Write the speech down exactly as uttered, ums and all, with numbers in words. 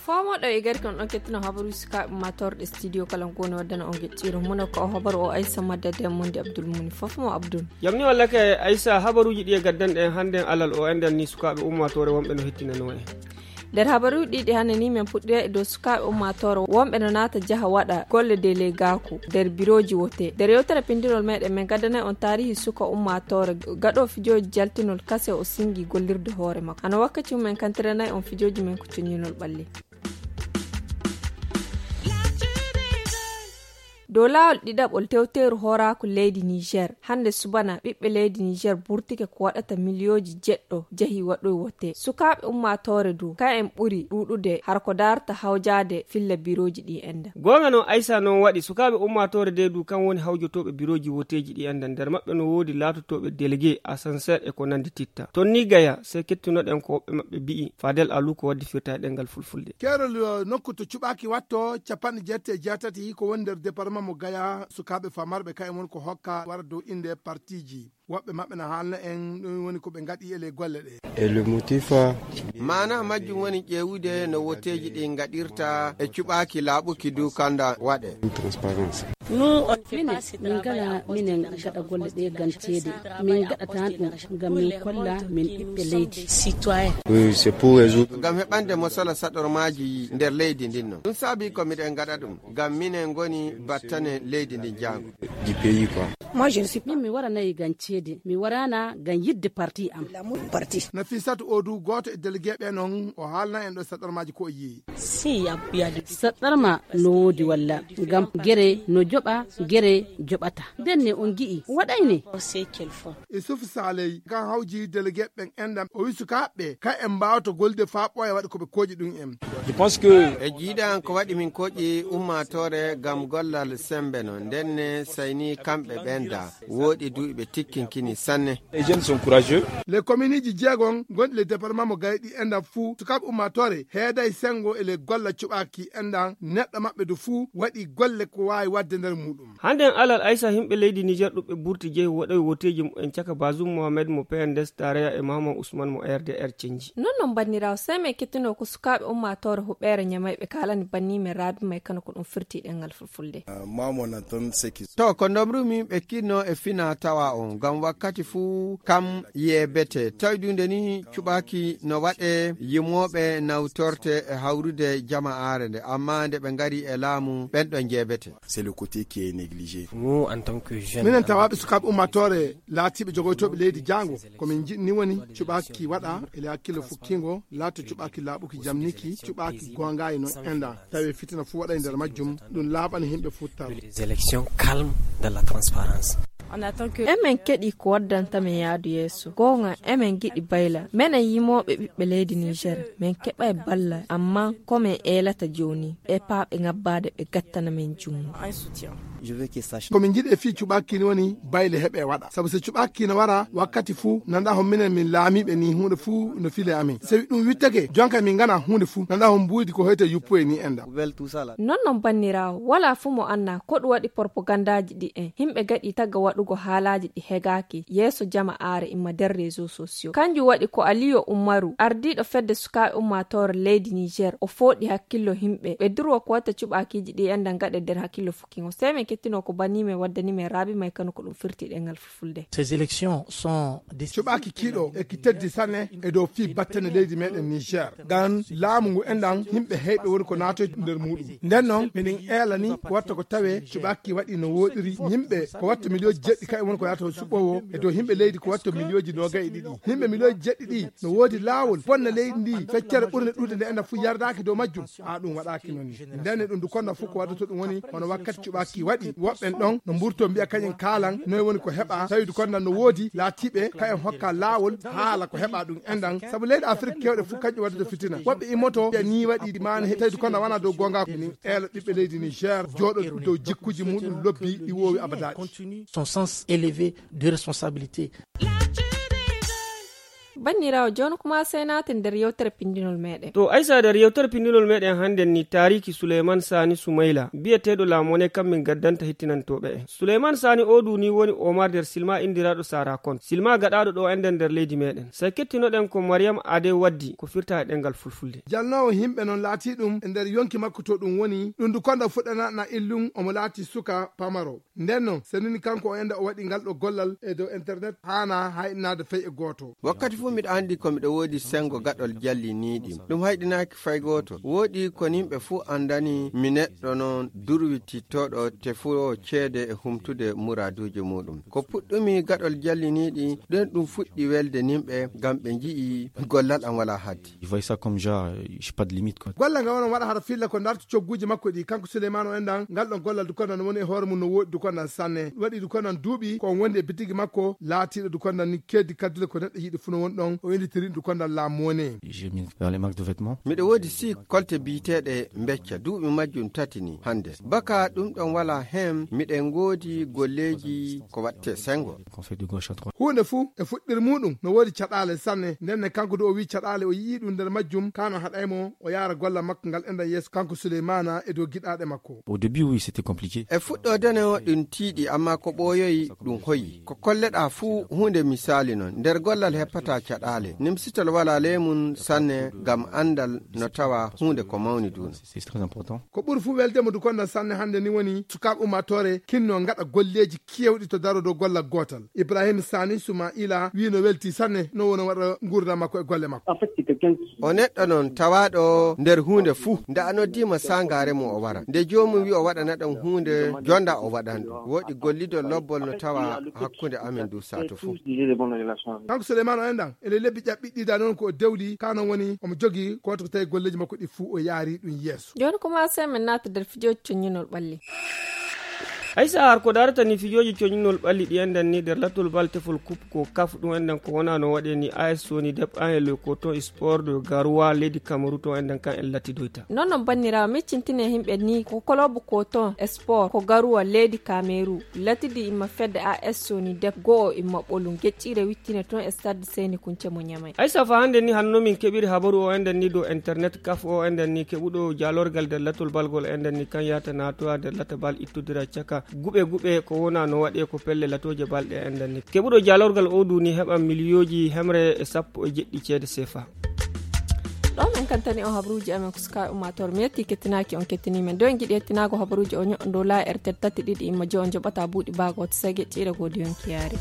Foomoɗo e gari kon ɗon kettino habaruuji sukaaɓe ummaatoore ɗe studio kala ngoni waddana on geɗɗiiro muna ko o habaru o aysa madda den mundi abdul muni fof mo abdul. Jamni walla kay aysa habaruuji ɗi e gaddanɗe en hannden alal o enɗan ni sukaaɓe ummaatoore wonɓe no hettinano en. Nder habaruuji ɗiɗi hannde ni men puɗɗira e dow sukaaɓe ummaatoore wonɓe no naata jaha waɗa golle delegaaku nder birooji wote. Nder yewtere pinndirol meɗen men gaddanay on taarihi suka ummaatoore gaɗo fijooji jaltinol kase o singi gollirde hoore makko hano wakkati mum en kantiranay on fijooji men ko coñinol ɓalli. Dow laawol ɗiɗaɓol tewteeru hooraaku leydi niger hannde subana ɓiɓɓe leydi niger burtike ko waɗata miliyooji jeɗɗo jahi waɗoy wote sukaaɓe ummaatoore du ka en ɓuri ɗuuɗude har ko daarta hawjaade filla birooji ɗi enda. Goonga noon aysa noon waɗi sukaaɓe ummaatoore de du kam woni hawjotooɓe birooji woteeji ɗi enda nder maɓɓe no woodi laatotooɓe délégué ascenseur e ko nanndi titta toon ni gaya sey kettunoɗen ko woɓɓe maɓɓe mbi'i fadel alu ko waddi firta e ɗenngal fulfulde. Keerol nokku to cuɓaaki watto capanɗe jeetati e jeetati ko woni nder département mo gaya sukaaɓe famarɓe kayen woni ko hokka wara dow innde partiiji woɓɓe maɓɓe na haalna en ɗum woni ko ɓe ngaɗi e ley golle ɗe. E le motif maana majjum woni ƴeewude no woteeji ɗi ngaɗirta e cuɓaaki laaɓuki du kanda waɗe. Transparence. Minen min ngala minen gaɗa golle ɗe gam ceede. Min gaɗatan ɗum gam min kolla min ɓiɓɓe leydi. Gam heɓande mosala saɗormaaji nder leydi ndin non ɗum saabi ko miɗen gaɗa ɗum gam minen ngoni battane leydi ndin jaango. Min mi waranayi gam ceede mi warana gam yidde parti am. Nafisatu odu gooto e délégué ɓe non o haalna en ɗo saɗormaaji ko o yi'i. Saɗɗarma no woodi walla ngam gere no joɓa gere joɓata ndenne on gi'i waɗayne. Isuf saley kan hawji délégué ɓen enɗam o wi sukaaɓe ɓe ka en mbaawata golde faa ɓooya waɗi ko ɓe kooƴi ɗum en. E jiiɗan ko waɗi min kooƴi ummaatoore ngam gollal sembe no ndenne sayni kamɓe ɓenda wooɗi du ɓe tikkinkini sanne. Les jeunes sont courageux. Les communeji jeegon gonɗi le département mo gayɗi enɗam fuu sukaaɓe ummaatoore heeday senngo e le golla cuɓaaki enɗam neɗɗo maɓɓe du fuu waɗi golle ko waawi waɗde nder muuɗum. Hannden alal aysa yimɓe leydi niger ɗuɓɓe burti jeyi waɗoy woteeji mumen caka bazum mohamed mo pnds tareya e mahaman usman mo rdr cenji. Non non banniraawo sey men kettinoo ko sukaaɓe ummaatoore huɓeere ñamayɓe kaalani banni men raabi may kano ko ɗum firti ɗenngal fulfulde. To ko ndomrumi ɓe kinno e fina tawa on ngam wakkati fuu kam yeebete tawi dunde ni cuɓaaki no waɗe yimooɓe nawtorte e hawrude jama'aare nde amma nde ɓe ngari e laamu ɓen ɗon jeebete. C'est le côté qui est négligé. Nous en tant que jeunes minen tawaaɓe sukaaɓe ummaatoore laatiiɓe jogoytooɓe leydi jaango ko min njiɗni woni cuɓaaki waɗa ele hakkille fukkingo laato cuɓaaki laaɓuki jamniki cuɓaaki goongayi no enɗa tawi fitina fuu waɗa e nder majjum. Ɗum laaɓani yimɓe fuu taw. Les élections calmes dans la transparence. Emen keɗi ko waddanta men yaadu yeeso goonga emen giɗi bayla menen yimooɓe ɓiɓɓe leydi niger men keɓa e balla amma ko men eelata jooni ɓe paaɓe ngabbaade ɓe gattana men jummo. Ko min njiɗi e fii cuɓaaki ni woni bayle heɓe waɗa sabu so cuɓaaki no wara wakkati fuu nanda hon minen min laamiiɓe ni huunde fuu no file amin so wi ɗum wittake jonka min ngana huunde fuu nanda hon mbuudi ko hoyta yuppoye ni enda. Non non banniraawo walaa fuu mo annaa ko ɗum waɗi porpogandaaji ɗi en yimɓe gaɗi tagga waɗugo haalaaji ɗi hegaaki yeeso jama aare imma nder réseau sociaux kanjum waɗi ko aliyo ummaru ardiiɗo fedde sukaaɓe ummaatoore leydi niger o fooɗi hakkillo yimɓe ɓe durwa ko watta cuɓaakiiji ɗi enda gaɗe nder hakkillo fukkingo sey men kettinoo ko banni men waddani men raabi may kano ko ɗum firti ɗengal fulfulde. Ces élections sont des cuɓaaki kiiɗo e ki teddi sanne e dow fii battane leydi meɗen niger ngam laamu ngu enɗan yimɓe heyɓe woni ko naatoyde nder muɗum nden noon miɗen eelani ko watta ko tawe cuɓaaki waɗi no woɗiri yimɓe ko watta miliyooji jeɗɗi kaɓe woni ko yaata suɓoowo e dow yimɓe leydi ko watta miliyooji noogay e ɗiɗi yimɓe miliyooji jeɗɗi ɗi no woodi laawol bonna leydi ndi feccere ɓurde ɗuuɗe nde enɗan fof yardaaki dow majjum. A ɗum waɗaaki noon ni ndenne ɗum du konna fof ko waddoto ɗum woni hono wakkati cuɓaaki waɗi woɓɓen ɗon no mburto mbiya kañen kaalan noy woni ko heɓa tawi du konna no woodi laatiiɓe ka en hokka laawol haala ko heɓa ɗum enɗan sabu leyɗe afrik kewɗe fof kañƴum waddata fitina woɓɓe immoto ɓe ni waɗi maana tawi du konna wona dow goonga min eela ɓiɓɓe leydi niger jooɗo dow jikkuji muɗum lobbi ɗi wowi abadaɗi. Son sens élevé de responsabilité. Banniraawo, jooni kuma sey naaten nder yewtere pinndinol meeɗen. To Aysa, nder yewtere pinndinol meeɗen hannden ni, taariiki Suleyman Saani Sumayla, biyeteeɗo Laamone, kam min gaddanta hettinantooɓe en. Suleyman Saani oo du ni woni Omar nder silma inndiraaɗo Sara Kon. Silma gaɗaaɗo ɗo enɗen nder leydi meeɗen. Sey kettinoɗen ko Mariyam Ade waddi, ko firta e ɗemngal fulfulde. Jalnoowo yimɓe noon laatii ɗum e nder yonki makko to ɗum woni, ɗum du konda fuɗɗana na illum omo laatii suka pamaro. Nden noon, senini kanko o enda o waɗi ngal ɗo gollal e dow internet haana hayɗinaade fey e gooto. Wakkati fuu miɗo anndi ko miɗo woodi senngo gaɗol jalliniiɗi. Ɗum hayɗinaaki fay gooto. Wooɗi ko yimɓe fuu anndani mi neɗɗo noon durwitittooɗo tefoowo ceede e humtude muraaduuji muuɗum. Ko puɗɗumi gaɗol jalliniiɗi, ɗen ɗum fuɗɗi welde yimɓe ngam ɓe nji'i gollal am walaa haddi. Ils voient ça comme genre, euh, j'ai pas de limite, quoi. Golle ngal wona waɗa hara filla ko darto cogguuji makko ɗi. Kanko Souleymane o enɗan, ngal ɗon gollal dukondan woni e hoore mum no woɗi dukondan sanne. Waɗi dukondan duuɓi ko on wondi e bitigi makko, laatiiɗo dukondan ni keddi kaddule ko neɗɗo yiɗi fuu no woni ɗon. O inditiri dukondan laamu woni. J'ai mis dans les marques de vêtements. Miɗo woodi sii kolte biyeteeɗe Becca, duuɓi majjum tati ni hannde. Baka ɗum ɗon walaa heen, miɗen ngoodi golleeji ko waɗte senngo. Conseil de gauche à droite. Huunde fuu e fuɗɗir muuɗum no woodi caɗaale sanne. Nden ne kanko du o wi'i caɗaale o yi'ii ɗum nder majjum, kaa no haɗay mo o yaara gollal makko ngal enɗan yeeso kanko Suleymaana e dow giɗaaɗe makko. Au début, oui, c'était compliqué. E fuɗɗoode no ɗum tiiɗi, ammaa ko ɓooyoyi ɗum hoyi. Ko kolleɗaa fuu huunde misaali non. Nder gollal heppataa caɗaale. Nimsitol walaa ley mum sanne ngam anndal no tawa huunde ko mawni duuna. C'est très important. Ko ɓuri fuu welde mo dukondan sanne hannde ni woni sukaaɓe ummaatoore kinno ngaɗa golleeji keewɗi to daro dow gollal gootal. Ibrahim Sani Sumaila wi'i no weltii sanne no woni waɗa nguurndam makko e golle makko. O neɗɗo non tawaaɗo nder huunde fuu. Nde a noddiima saangaare mum o wara. Nde joomum wi'i o waɗana ɗon huunde, jonda o waɗan ɗum. Woodi gollidol lobbol no tawa hakkunde amen du saatu fuu. Kanko Souleymane o enɗan, ele lebbi ƴaɓɓiɗɗi da noon ko o dewli, kaa noon woni omo jogii kooto ko tawi golleeji makko ɗi fuu o yaari ɗum yeeso. Jooni kuma sey min naata nder fijooji coññinol ɓalli. Aysa, har ko darata ni fijooji coññinol ɓalli ɗi enɗan ni nder latol bal tefol coupe ko kaf ɗum enɗan ko wona no waɗe ni A S Soni Dep an e le coton sport de Garoua leydi Kamaru to enɗan kan en lattidoyta. Non non banniraawo, miccintine yimɓe ni ko kolobu coton sport ko Garoua leydi Kameru. Latidi imma fedde A S Soni Dep go'o imma ɓolum geccire wittine toon e stade Seyni Kunce mo Ñamay. Aysa, fa hannde ni hanno min keɓiri habaru o enɗan ni dow internet kaf o enɗan ni keɓuɗo jaalorgal nder latol balgol enɗan ni kan yahata naatoya nder lata bal ittodira caka guɓe guɓe ko wona no waɗe ko pelle latooje bal ɗe enɗan ni. Keɓuɗo jaalorgal o du ni heɓan miliyooji hemre e sappo e jeɗɗi ceede sefa. Ɗo min kantani on habaruuji amen ko suka ummaatoore. Mi yetti kettinaaki on kettini men. Do en giɗi yettinaago habaruuji o ño'on dow la R T L tati ɗiɗi imma jo on joɓata buuɗi baago to sege ƴiire godi yonki yaari.